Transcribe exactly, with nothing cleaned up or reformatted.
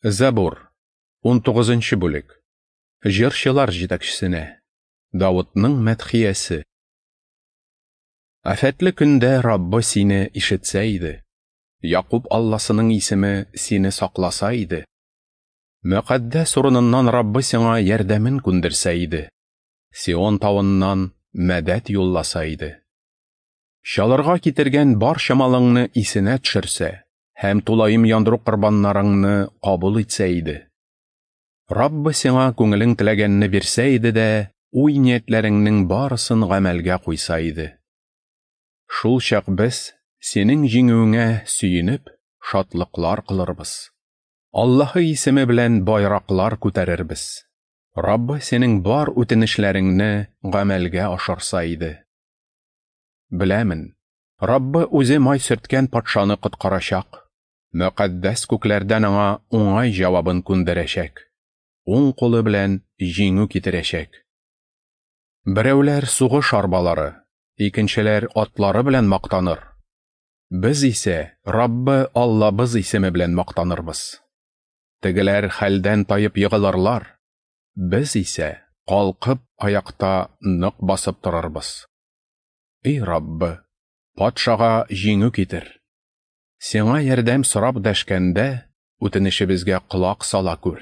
Забур, унтугызынчы бүлек. Җырчылар җитәкчесенә. Давытның мәдхиясе. Афәтле көндә Раббы сине ишетсә иде. Якуб Алласының исеме сине сакласа иде. Мөкаддәс урыныннан Раббы сиңа ярдәмен күндерсә иде. Сион тавыннан мәдәт юлласа иде. Чалырга китергән бар чамалыңны исенә төшерсә һәм тулаем яндыру корбаннарыңны кабул итсә иде. Раббы сиңа күңелең теләгәнне бирсә иде дә, уй ниятләреңнең барысын гамәлгә куйса иде. Шул чак без синең җиңүеңә сөенеп, шатлыклар кылырбыз. Аллаһы исеме белән байраклар күтәрербез. Раббы синең бар үтенешләреңне гамәлгә ашырса иде. Беләмен, Раббы үзе май сөрткән патшаны коткарачак. Мөкаддәс күкләрдән аңа уңай җавабын күндерәчәк. Уң кулы белән җиңү китерәчәк. Берәүләр сугыш арбалары, икенчеләр атлары белән мактаныр. Без исә Раббы Аллабыз исеме белән мактанырбыз. Тегеләр хәлдән таеп егылырлар. Без исә калкып аякта нык басып торырбыз. Эй Раббы, патшага җиңү китер. Сиңа ярдәм сорап дәшкәндә, үтенешебезгә колак сала күр.